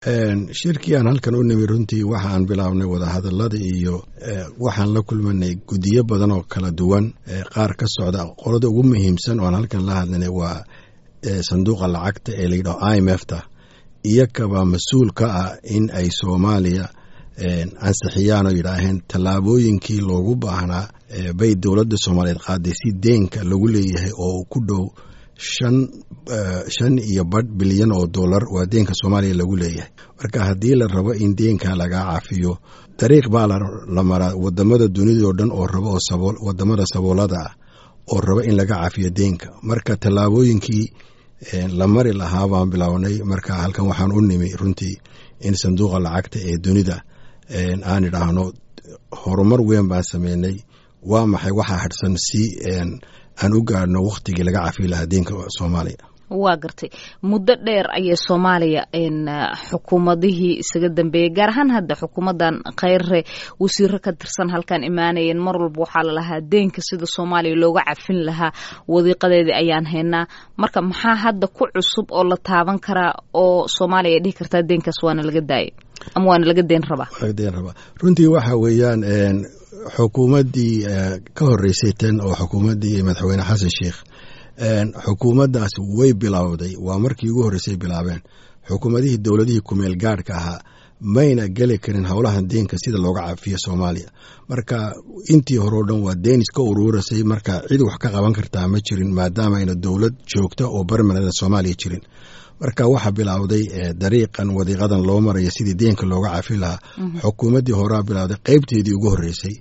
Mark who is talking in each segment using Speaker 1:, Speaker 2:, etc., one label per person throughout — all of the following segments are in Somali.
Speaker 1: Shirkii aan halkan u nimi, runtii waxa aan bilaabnay wadahadalada iyo waxaan la kulmanay guddiyo badan oo kala duwan, qaar ka socda. Qolada ugu muhiimsan oo aan halkan la hadlanay waa sanduuqa lacagta ee layidhaho IMF ta. Iyakabaa mas-uul ka ah in ay Soomaaliya ansixiyaan oo yidhaaheen tallaabooyinkii loogu baahnaa bay dowladda Soomaaliyeed qaaday si deenka lagu leeyahay oo ku dhow 5.5 bilyan oo dollar waa deenka Soomaaliya lagu leeyahay. Marka haddii la rabo in deenka lagaa cafiyo, dariiq baa la maraa. Wadamada dunidao dhan oo rabo oo wadamada saboolada ah oo rabo in laga cafiyo deenka, marka tallaabooyinkii la mari lahaa baan bilownay. Marka halkan waxaan u nimi runtii in sanduuqa lacagta ee dunida aan idhaahno horumar weyn baan sameynay, waa maxay waxaa hadhsan si aan u gaadhno wakhtigii laga cafi lahaa deenka Soomaaliya?
Speaker 2: Waa gartay. Muddo dheer ayay Soomaaliya xukuumadihii isaga dambeeyey, gaar ahaan hadda xukuumaddan Kheyre, wasiiro ka tirsan halkan imaanayeen. Mar walba waxaa lalahaa deenka sida Soomaaliya looga cafin lahaa wadiiqadeedii ayaan haynaa. Marka maxaa hadda ku cusub oo la taaban karaa oo Soomaaliya ay dhihi kartaa deenkaas waana laga daayay ama waana laga deen rabaa?
Speaker 1: Laga deen rabaa runtii waxa weeyaan xukuumaddii ka horreysay tan oo xukuumaddii Madaxweyne Xasan Sheikh, xukuumaddaas way bilowday. Waa markii ugu horreysay bilaabeen. Xukuumadihii dowladihii kumeel gaadhka ahaa mayna geli karin howlahan deenka sida looga cafiyo Soomaaliya. Marka intii hore o dhan waa deen iska uruurasay, marka cid wax ka qaban kartaa ma jirin maadaama ayna dowlad joogta oo barmanada Soomaaliya jirin. Marka waxaa bilowday dariiqan, wadiiqadan loo marayo sidii deenka looga cafi lahaa. Xukuumaddii horaa bilowday qeybteedii ugu horreysay.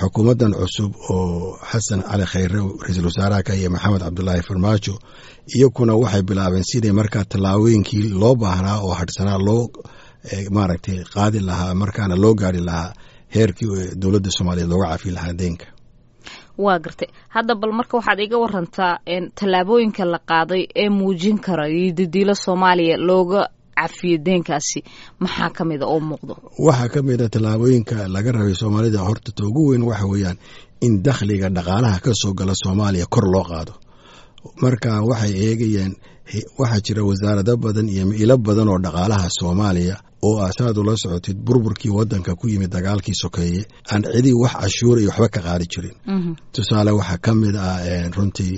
Speaker 1: Xukuumaddan cusub oo Xasan Cali Khayre ra-iisul wasaaraha ka iyo Maxamed Cabdulaahi Farmaajo iyakuna waxay bilaabeen sidii markaa tallaabooyinkii loo baahnaa oo hadhsanaa loo maaragtay qaadi lahaa, markaana loo gaari lahaa heerkii dowladda Soomaaliyeed looga cafi lahaa deenka.
Speaker 2: Waa gartay. Hadda bal marka waxaad iga warantaa tallaabooyinka la qaaday ee muujin kara iyo didiilo Soomaaliya looga cafiyo deenkaasi, maxaa ka mida oo muuqdo?
Speaker 1: Waxaa ka mid a tallaabooyinka laga rabay Soomaalida, horta ta ugu weyn waxa weeyaan in dakhliga dhaqaalaha ka soo gala Soomaaliya kor loo qaado. Marka waxay eegayeen, waxaa jira wasaarado badan iyo ilo badan oo dhaqaalaha Soomaaliya oo asaad ula socotid burburkii wadanka ku yimid dagaalkii sokeeye aan cidii wax cashuura iyo waxba ka qaadi jirin. Tusaale waxaa ka mid ah runtii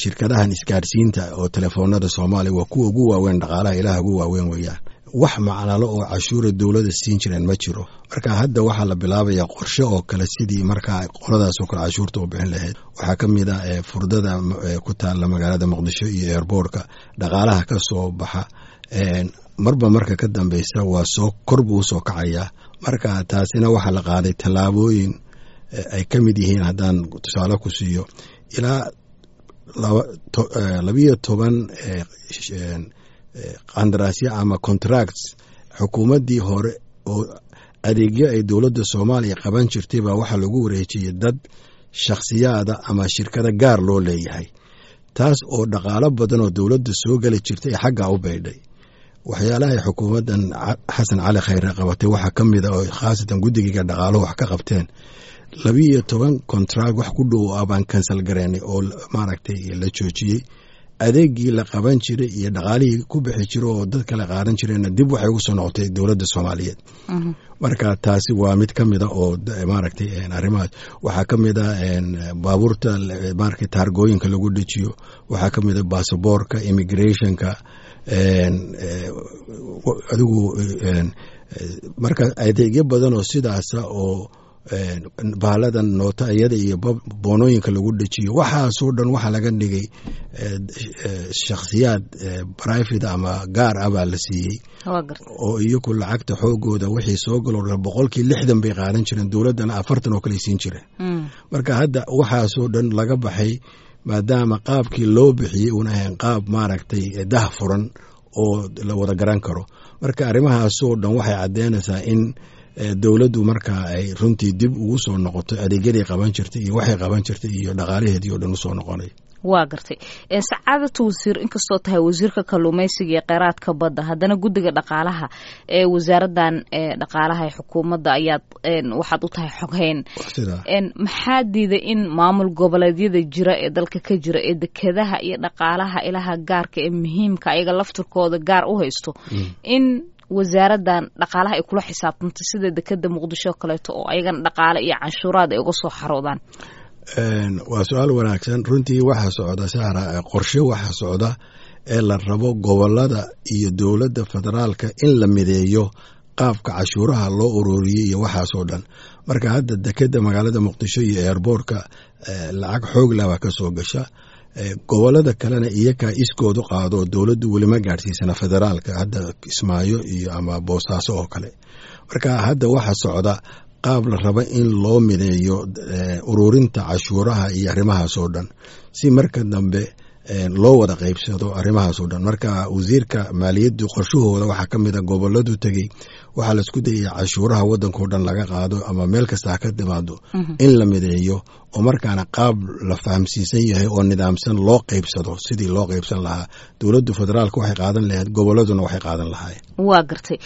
Speaker 1: shirkadahan isgaarsiinta oo telefoonada Soomaaliya waa kuwa ugu waaweyn dhaqaalaha, ilaha ugu waaweyn weeyaan. Wax macnalo oo cashuura dowladda siin jireen ma jiro. Marka hadda waxaa la bilaabayaa qorshe oo kale sidii markaa qoladaas oo kale cashuurta u bixin lahayd. Waxaa ka mid ah furdada ku taalla magaalada Muqdisho iyo airboortka, dhaqaalaha ka soo baxa marba marka ka dambeysa waa soo kor buu usoo kacayaa. Marka taasina waxaa la qaaday tallaabooyin ay ka mid yihiin, haddaan tusaale ku siiyo, ilaa 12 qandaraasyo ama contracts xukuumaddii hore oo adeegyo ay dowladda Soomaaliya qaban jirtay baa waxaa lagu wareejiyey dad shakhsiyaada ama shirkada gaar loo leeyahay, taas oo dhaqaalo badan oo dowladda soo geli jirtay ee xaggaa u baydhay. Waxyaalahay xukuumaddan Xasan Cali Khayre qabatay waxaa ka mid a oo khaasatan guddigiga dhaqaaluhu wax ka qabteen, 12 contract wax ku dhow ah baan cancel gareynay oo maaragtay la joojiyey. Adeegii la qaban jiray iyo dhaqaalihii ku bixi jira oo dad kale qaadan jireenna dib waxay ugu soo noqotay dowladda Soomaaliyeed. Marka taasi waa mid ka mid a oo maaragtay arrimahaas. Waxaa ka mid a baabuurta maaragtay taargooyinka lagu dejiyo, waxaa ka mid a baasaboorka, immigrationka adigu. Marka adeegyo badan oo sidaasa oo baaladan noota iyada iyo boonooyinka lagu dejiyo, waxaasoo dhan waxaa laga dhigay shakhsiyaad private ama gaar ah baa la siiyey oo iyagu lacagta xoogooda wixii soo galoo dhan 60% bay qaadan jireen, dowladdana 40 oo kale siin jireen. Marka hadda waxaasoo dhan laga baxay maadaama qaabkii loo bixiyey uuna ahayn qaab maaragtay dah furan oo la wada garan karo. Marka arrimahaasoo dhan waxay caddeynaysaa in dowladdu markaa ay runtii dib ugu soo noqoto adeegyadii qaban jirtay iyo waxay qaban jirtay iyo dhaqaalaheedii oo dhan usoo noqonay.
Speaker 2: Waa gartay, sacaadatu wasiir, inkastoo tahay wasiirka kalluumeysiga iyo kheyraadka badda, haddana guddiga dhaqaalaha ee wasaaraddan dhaqaalaha ee xukuumadda ayaad waxaad u tahay xoghayn. Maxaa diiday in maamul goboleedyada jira ee dalka ka jira ee dekedaha iyo dhaqaalaha ilaha gaarka ee muhiimka ayaga laftirkooda gaar u haysto in wasaaraddan dhaqaalaha ay kula xisaabtanto, sida dekeda Muqdisho kaleeto oo ayagana dhaqaale iyo canshuuraad ay uga soo xaroodaan?
Speaker 1: Waa su-aal wanaagsan runtii. Waxaa socda, Sahra, qorshe waxaa socda ee la rabo gobolada iyo dowladda federaalka in la mideeyo qaabka cashuuraha loo ururiyey iyo waxaasoo dhan. Marka hadda dekeda magaalada Muqdisho iyo airboortka lacag xoog lah baa ka soo gasha. Gobolada kalena iyakaa iskoodu qaado, dowladdu welima gaadhsiisana federaalka, hadda Kismaayo iyo ama Boosaaso oo kale. Marka hadda waxaa socda qaab la rabo in loo mideeyo ururinta cashuuraha iyo arrimahaasoo dhan, si marka dambe loo wada qaybsado arrimahaasoo dhan. Marka wasiirka maaliyaddu qorshahooda waxaa ka mid a goboladu tegey, waxaa laisku dayaya cashuuraha waddankao dhan laga qaado ama meel kasta ha ka timaado in la mideeyo, oo markaana qaab la fahamsiisan yahay oo nidaamsan loo qaybsado. Sidii loo qaybsan lahaa, dowladdu federaalka waxay qaadan lahayd, goboladuna waxay qaadan lahaayeen.
Speaker 2: Waa gartay.